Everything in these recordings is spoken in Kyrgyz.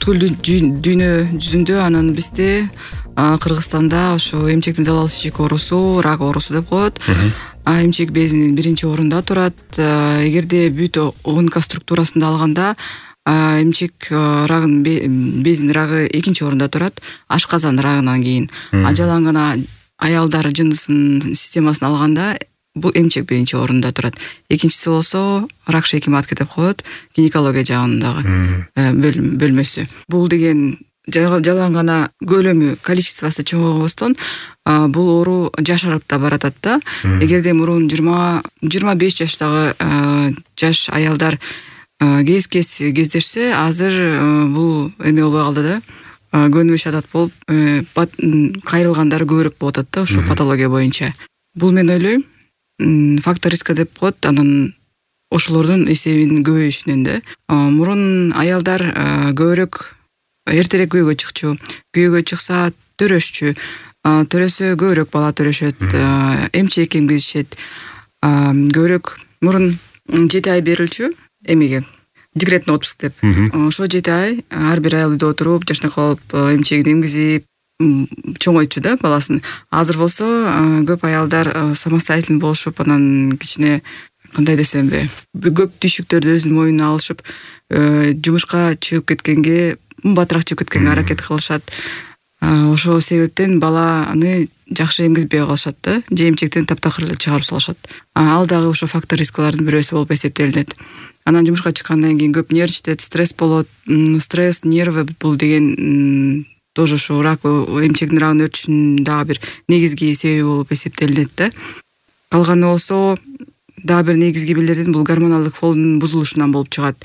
бүткүл дүйнө жүзүндө, анан бизде Кыргызстанда ошо эмчектин залал шишик оорусу, рак оорусу деп коет. Эмчек безинин биринчи орунда турат. Эгерде бүт ОНК структурасында алганда эмчек рагынын безинин рагы экинчи орунда турат, ашказан рагынан кийин. Жалаң гана аялдар жынысынын системасын алганда бул эмчек биринчи орунда турат. Экинчиси болсо рак шейки матки деп коет, гинекология жагындагы бөлмөсү. Бул деген жалаң гана көлөмү, количествосу чоңойбостон бул оору жашарып да баратат да. Эгерде мурун 20-25 жаштагы жаш аялдар кездешсе, азыр бул эме болбой калды да. Көнүмүш адат болуп, кайрылгандар көбүрөөк болуп атат да, ушу патология боюнча. Бул мен ойлойм, фактор риска деп коет, анан ошолордун эсебинин көбөйүшүнөн да. Мурун аялдар көбүрөөк эртерээк күйөөгө чыкчу, күйөөгө чыкса төрөшчү, төрөсө көбүрөөк бала төрөшөт, эмчек эмгизишет. Көбүрөөк мурун 7 ай берилчү эмеге, декретный отпуск деп. Ошо 7 ай ар бир аял үйдө отуруп, жашнак алып, эмчегин эмгизип, чоңойтчу да баласын. Азыр болсо көп аялдар самостоятельный болушуп, анан кичине кандай десемби, көп түйшүктөрдү өзүнүн мойнуна алышып, жумушка чыгып кеткенге, батыраак чыгып кеткенге аракет кылышат. Ошол себептен баланы жакшы эмгизбей калышат да, же эмчектен таптакыр чыгарып салышат. Ал дагы ошо фактор рискалардын бирөөсү болуп эсептелинет. Анан жумушка чыккандан кийин көп нервничать, стресс болот. Стресс, нервы бул деген тоже ушу рак, эмчектин рагынын өрчүшүнүн дагы бир негизги себеби болуп эсептелинет да. Калганы болсо дагы бир негизги белгилерден бул гормоналдык фондун бузулушунан болуп чыгат.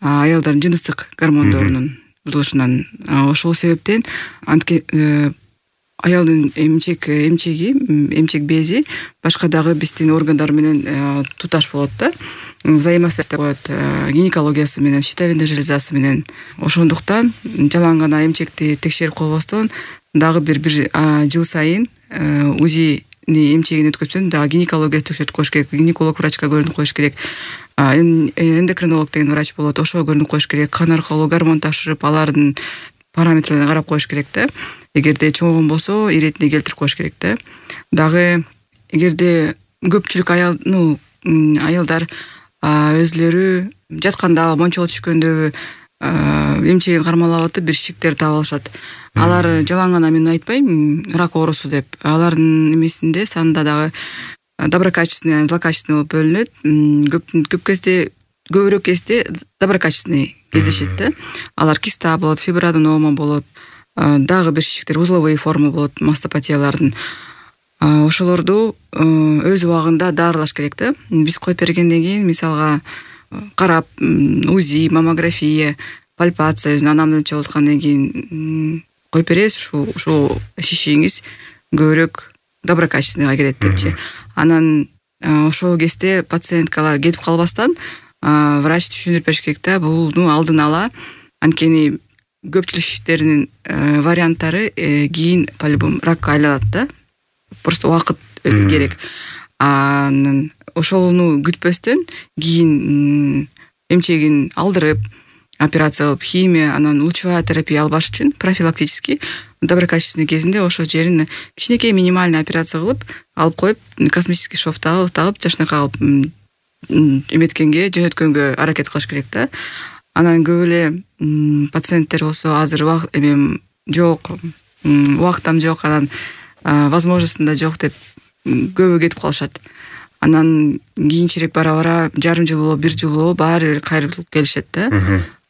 Аялдардын жыныстык гормондорунун бузулушунан. Ошол себептен аялдын эмчек бези башка дагы биздин органдар менен туташ болот да. Взаимосвязь деп коет, гинекологиясы менен, щитовидная железасы менен. Ошондуктан жалаң гана эмчекти текшерип койбостон дагы бир жыл сайын УЗИ эмчегин өткөзсөң дагы гинекология текшертип коюш керек. Гинеколог врачка көрүнүп коюш керек. Эндокринолог деген врач болот, ошого көрүнүп коюш керек. Кан аркылуу гормон тапшырып, алардын параметрлерин карап коюш керек да. Эгерде чоңойгон болсо, иретине келтирип коюш керек да. Дагы эгерде көпчүлүк аялдар өзлөрү жатканда, мончого түшкөндө эмчегин кармалап атып бир шишиктер таап алышат. Алар жалаң гана мен айтпайм рак оорусу деп. Алардын эмесинде санында дагы доброкачественный, злокачественный болуп бөлүнөт. Көбүрөөк кезде доброкачественный кездешет да. Алар киста болот, фиброаденома болот, дагы бир шишиктер, узловые формы болот, мастопатиялардын. Ошолорду өз убагында дарылаш керек да. Биз коюп бергенден кийин, мисалга карап, УЗИ, маммография, пальпация, өзүнүн анамнече болуп аткандан кийин коюп беребиз, ушул шишигиңиз көбүрөөк доброкачественныйга кирет депчи. Анан ошол кезде пациенткалар кетип калбастан врач түшүндүрүп бериш керек да. Бул алдын ала, анткени көпчүлүк шишиктердин варианттары кийин по-любому ракка айланат да. Просто убакыт керек. Анан ошону күтпөстөн кийин эмчегин алдырып, операция кылып, химия, анан лучевая терапия албаш үчүн профилактический доброкачественный кезинде ошол жерин кичинекей минимальный операция кылып, алып коюп, косметический шов тагып, жашнакка алып эметкенге, жөнөткөнгө аракет кылыш керек да. Анан көп эле пациенттер болсо азыр жок, убактым жок, анан возможностьм да жок деп көбү кетип калышат. Анан кийинчерээк бара жарым жыл болобу, бир жыл болобу баары бир кайрылып келишет да.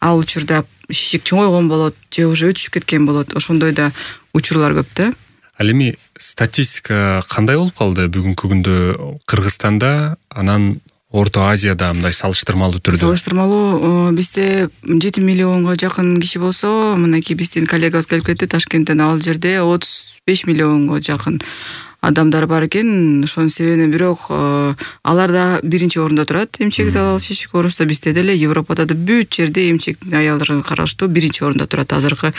Ал учурда шишик чоңойгон болот, же уже өтүшүп кеткен болот. Ошондой да учурлар көп да. Ал эми статистика кандай болуп калды бүгүнкү күндө Кыргызстанда, анан Орто Азияда мындай салыштырмалуу түрдө? Салыштырмалуу бизде 7 миллионго жакын киши болсо, мынакей биздин коллегабыз келип кетти Ташкенттен, ал жерде 35 миллионго жакын адамдар бар экен. Ошонун себебинен бирок алар да биринчи орунда турат. Эмчек залал шишик оорусу бизде деле, Европада да бүт жерде эмчектин аялдарга караштуу биринчи орунда турат азыркы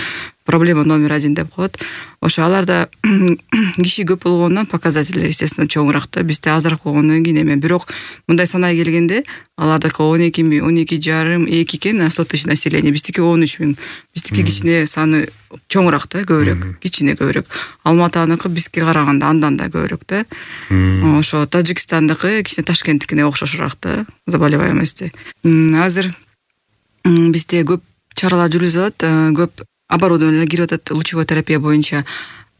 проблема номер 1 деп коет. Ошо аларда киши көп болгондон показатели естественно чоңураак да, бизде азыраак болгондон кийин эме. Бирок мындай санай келгенде алардыкы 12,5 экен 100 тысяч население, биздики 13 000. Биздики кичине саны чоңураак да, көбүрөөк, кичине көбүрөөк. Алматаныкы бизге караганда андан да көбүрөөк да. Ошо Тажикстандыкы кичине Ташкенттикине окшошураак да, заболеваемости. Азыр бизде көп чаралар жүрүзүп атат, көп оборудованиелер кирип атат лучевой терапия боюнча.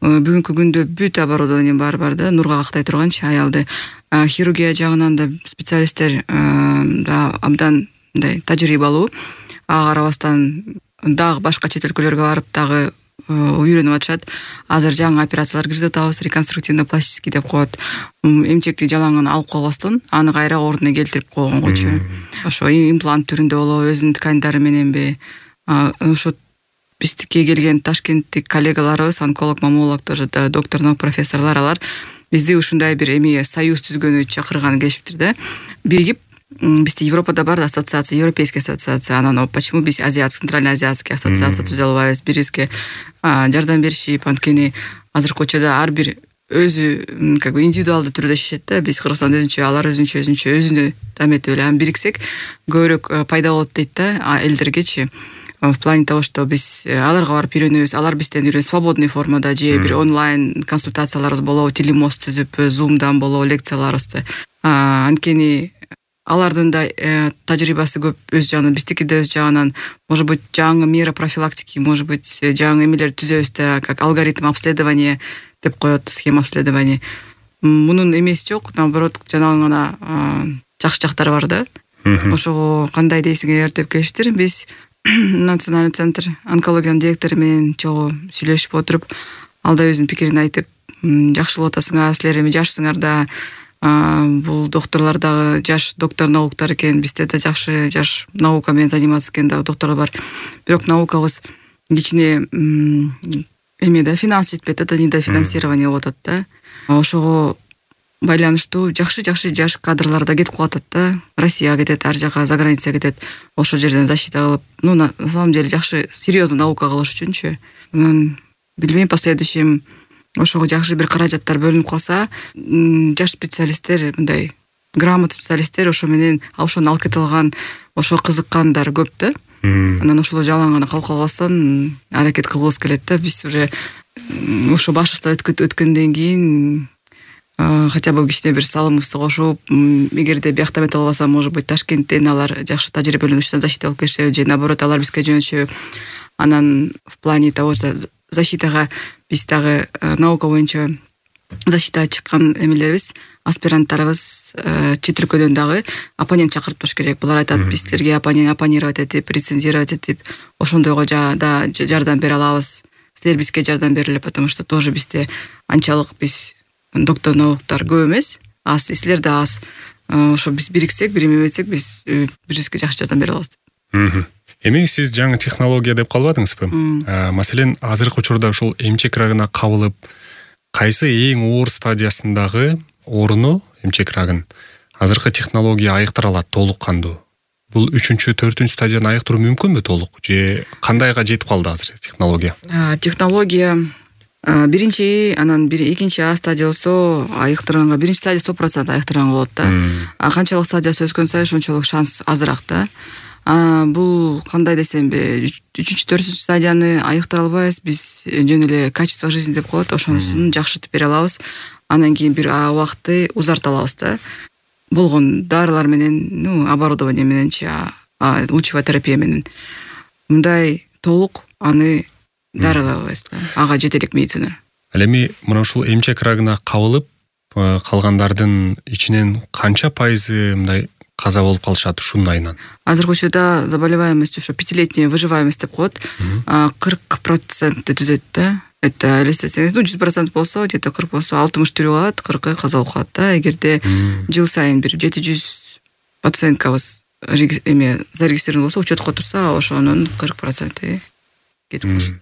Бүгүнкү күндө бүт оборудование бар да, нурга кактай турганчы аялды. Хирургия жагынан да специалисттер да абдан мындай тажрыйбалуу. Ага карабастан дагы башка чет өлкөлөргө барып дагы үйрөнүп атышат. Азыр жаңы операциялар киргизип атабыз, реконструктивно-пластический деп коет. Эмчекти жалаңын алып койбостон, аны кайра ордуна келтирип койгонгочу. Ошо имплант түрүндө болобу, өзүнүн тканьдары мененби. Ошо биздикке келген ташкенттик коллегаларыбыз, онколог, маммолог, тоже доктор наук профессорлор, алар бизди ушундай бир эме союз түзгөнү чакырган келишиптир да. Биригип, бизде Европада бар ассоциация, европейская ассоциация, анан почему биз центрально-азиатский ассоциация түзө албайбыз, бирибизге жардам беришип, анткени азыркы учурда ар бир өзү как бы индивидуалдуу түрдө иштешет да. Биз Кыргызстан өзүнчө, алар өзүнчө таметип эле бириксек көбүрөөк пайда болот дейт да элдергечи. В плане того, что биз аларга барып үйрөнөбүз, алар бизден үйрөнөт свободный формада, же бир онлайн консультацияларыбыз болобу, телемост түзүп, зумдан болобу лекцияларыбызды. Анткени алардын да тажрыйбасы көп өз жагынан, биздики да өз жагынан, может быть, жаңы мера профилактики, может быть, жаңы эмелер түзөбүз да, как алгоритм обследования деп коет, схема обследования. Мунун эмеси жок, наоборот, жанагы гана жакшы жактары бар да. Ошого кандай дейсиңер деп келиштир. Биз Национальный центр онкологиянын директору менен чогуу сүйлөшүп отуруп, алда өзүнүн пикирин айтып, жакшылап атасыңар, силер эми жашсыңар да, бул докторлор дагы жаш доктор науктар экен, бизде да жакшы жаш наука менен заниматься экен да докторлор бар. Бирок наукабыз кичине эме да, финанс жетпейт да, недофинансирование болуп атат да. Ошого байланыштуу жакшы жаш кадрлар да кетип калат да. Россияга кетет, ар жака, за границага кетет. Ошол жерден защита кылып, на самом деле жакшы серьезно наука кылыш үчүнчү. Билбейм, последующем ошого жакшы бир каражаттар бөлүнүп калса, жаш специалисттер, мындай грамотный специалисттер ошо менен ошону алып кете алган, ошо кызыккандар көп да. Анан ошол жалаң гана калып калбастан аракет кылгыбыз келет да. Биз уже ошо башыбыздан өткөндөн кийин хотя бы кичине бир салымыбызды кошуп, эгерде биякта эмете болбосо, может быть, Ташкенттен алар жакшы тажрыйбалуу защита алып келишеби, же наоборот алар бизге жөнөтүшөбү. Анан в плане того, что защитага биз дагы наука боюнча защитага чыккан эмелерибиз, аспиранттарыбыз чет өлкөдөн дагы оппонент чакыртыш керек. Булар айтат, биз силерге оппонировать этип, рецензировать этип, ошондойго да жардам бере алабыз. Силер бизге жардам бергиле, потому что тоже бизде анчалык биз доктор науктар көп эмес, аз, силер да аз. Ошо биз бириксек, бир эме этсек, биз бирибизге жакшы жардам бере алабыз. Эми сиз жаңы технология деп калбадыңызбы? Маселен, азыркы учурда ушул эмчек рагына кабылып, кайсы эң оор стадиясындагы ооруну, эмчек рагын, азыркы технология айыктыра алат толук кандуу? Бул 3-4 стадияны айыктыруу мүмкүнбү толук? Же кандайга жетип калды азыр технология? Технология биринчи, анан экинчи стадия болсо айыктырганга, биринчи стадия 100% айыктырган болот да. Канчалык стадиясы өскөн сайын ошончолук шанс азыраак да. Бул кандай десемби, 3-4 стадияны айыктыра албайбыз, биз жөн эле качество жизни деп коет, ошонусун жакшыртып бере алабыз. Анан кийин бир убакытты узарта алабыз да. Болгон дарылар менен, оборудование мененчи, лучевая терапия менен. Мындай толук аны дарылай албайбыз да. Ага жетелик медицина. Ал эми мына ушул эмчек рагына кабылып калгандардын ичинен канча пайызы мындай каза болуп калышат ушунун айынан? Азыркы учурда заболеваемость ошо 5-летняя выживаемость деп коет, 40% түзөт да. Это элестетсеңиз, 100% болсо, где-то 40 болсо 60 түрү калат, 40 каза болуп калат да. Эгерде жыл сайын бир 700 пациенткабыз эме зарегистрирован болсо, учетко турса, ошонун 40% кетип калышат.